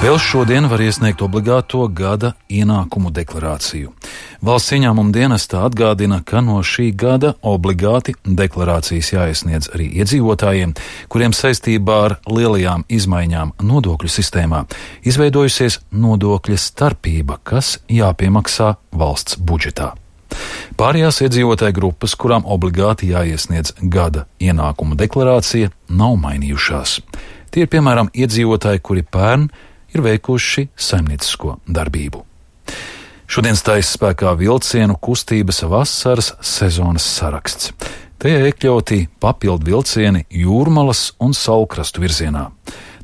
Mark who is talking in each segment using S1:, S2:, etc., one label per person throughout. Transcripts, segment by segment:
S1: Vēl šodien var iesniegt obligāto gada ienākumu deklarāciju. Valsts ieņēmuma dienestā atgādina, ka no šī gada obligāti deklarācijas jāiesniedz arī iedzīvotājiem, kuriem saistībā ar lielajām izmaiņām nodokļu sistēmā izveidojusies nodokļa starpība, kas jāpiemaksā valsts budžetā. Pārējās iedzīvotāju grupas, kurām obligāti jāiesniedz gada ienākumu deklarācija, nav mainījušās. Tie ir piemēram iedzīvotāji, kuri pērn ir veikuši saimniecisko darbību. Šodien stājas spēkā vilcienu kustības vasaras sezonas saraksts. Tajā iekļauti papildu vilcieni Jūrmalas un Saulkrastu virzienā.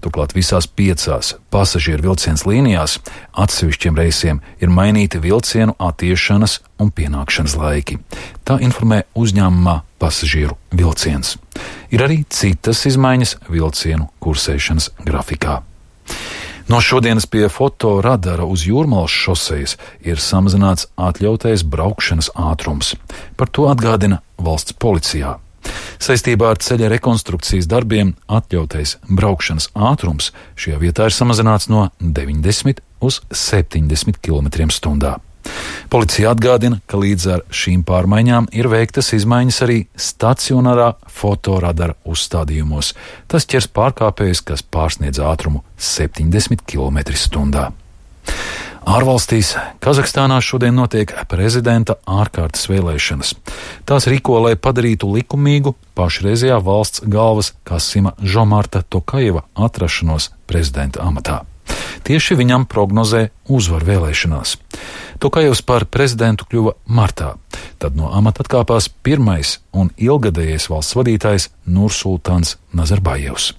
S1: Turklāt visās 5 pasažieru vilciens līnijās atsevišķiem reisiem ir mainīti vilcienu attiešanas un pienākšanas laiki. Tā informē uzņēmumā Pasažieru vilciens. Ir arī citas izmaiņas vilcienu kursēšanas grafikā. No šodienas pie fotoradara uz Jūrmalas šosejas ir samazināts atļautais braukšanas ātrums. Par to atgādina valsts policijā. Saistībā ar ceļa rekonstrukcijas darbiem atļautais braukšanas ātrums šajā vietā ir samazināts no 90 uz 70 km/h. Policija atgādina, ka līdz ar šīm pārmaiņām ir veiktas izmaiņas arī stacionārā fotoradara uzstādījumos. Tas ķers pārkāpējus, kas pārsniedz ātrumu 70 km/h. Ārvalstīs Kazahstānā šodien notiek prezidenta ārkārtas vēlēšanas. Tās rīko, lai padarītu likumīgu pašreizējā valsts galvas Kasima Žomarta Tokajeva atrašanos prezidenta amatā. Tieši viņam prognozē uzvaru vēlēšanās. Tokajevs par prezidentu kļuva martā. Tad no amata atkāpās pirmais un ilgadējais valsts vadītājs Nursultāns Nazarbājevs.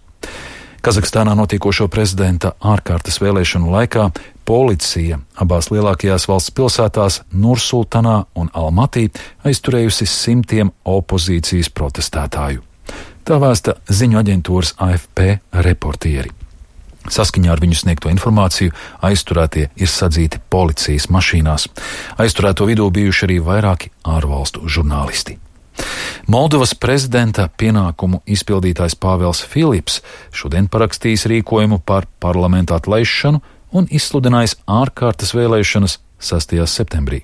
S1: Kazahstānā notiekošo prezidenta ārkārtas vēlēšanu laikā policija abās lielākajās valsts pilsētās Nursultānā un Almatī aizturējusi simtiem opozīcijas protestētāju. Tā vēsta ziņu aģentūras AFP reportieri. Saskaņā ar viņu sniegto informāciju aizturētie ir sadzīti policijas mašīnās. Aizturēto vidū bijuši arī vairāki ārvalstu žurnālisti. Moldovas prezidenta pienākumu izpildītājs Pāvels Filips šodien parakstījis rīkojumu par parlamentu atlaišanu un izsludinājis ārkārtas vēlēšanas 6. septembrī.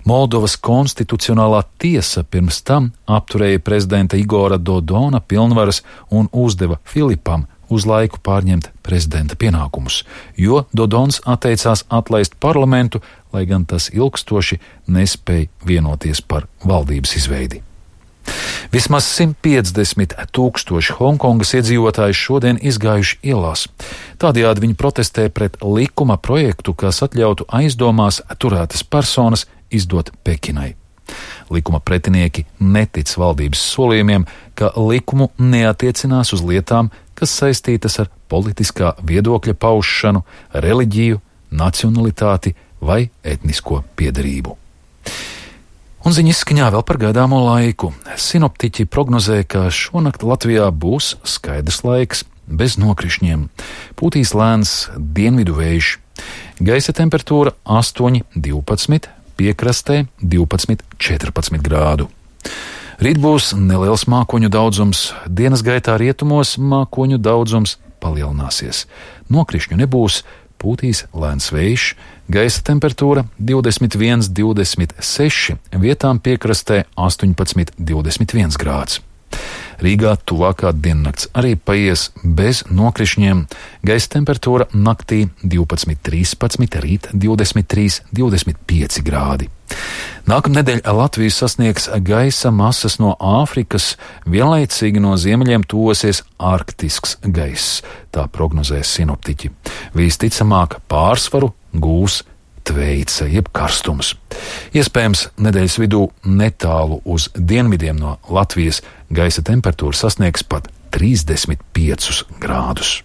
S1: Moldovas konstitucionālā tiesa pirms tam apturēja prezidenta Igora Dodona pilnvaras un uzdeva Filipam uz laiku pārņemt prezidenta pienākumus, jo Dodons atteicās atlaist parlamentu, lai gan tas ilgstoši nespēja vienoties par valdības izveidi. Vismaz 150 000 Hongkongas iedzīvotāji šodien izgājuši ielās. Tādējādi viņi protestē pret likuma projektu, kas atļautu aizdomās turētas personas izdot Pekinai. Likuma pretinieki netic valdības solījumiem, ka likumu neatiecinās uz lietām, kas saistītas ar politiskā viedokļa paušanu, reliģiju, nacionalitāti vai etnisko piederību. Un ziņa izskaņā vēl par gaidāmo laiku. Sinoptiķi prognozē, ka šonakt Latvijā būs skaidrs laiks, bez nokrišņiem. Pūtīs lēns dienvidu vējš. Gaisa temperatūra 8–12, piekrastē 12–14 grādu. Rīt būs neliels mākoņu daudzums, dienas gaitā rietumos mākoņu daudzums palielināsies. Nokrišņu nebūs, pūtīs lēns vējš, gaisa temperatūra 21–26, vietām piekrastē 18–21 grāds. Rīgā tuvākā diennakts arī paies bez nokrišņiem, gaisa temperatūra naktī 12–13, rīt 23–25 grādi. Nākamnedēļ Latviju sasniegs gaisa masas no Āfrikas, vienlaicīgi no ziemeļiem tuvosies arktisks gaiss, tā prognozē sinoptiķi. Visticamāk pārsvaru gūs tveica jeb karstums. Iespējams, nedēļas vidū netālu uz dienvidiem no Latvijas gaisa temperatūra sasniegs pat 35 grādus.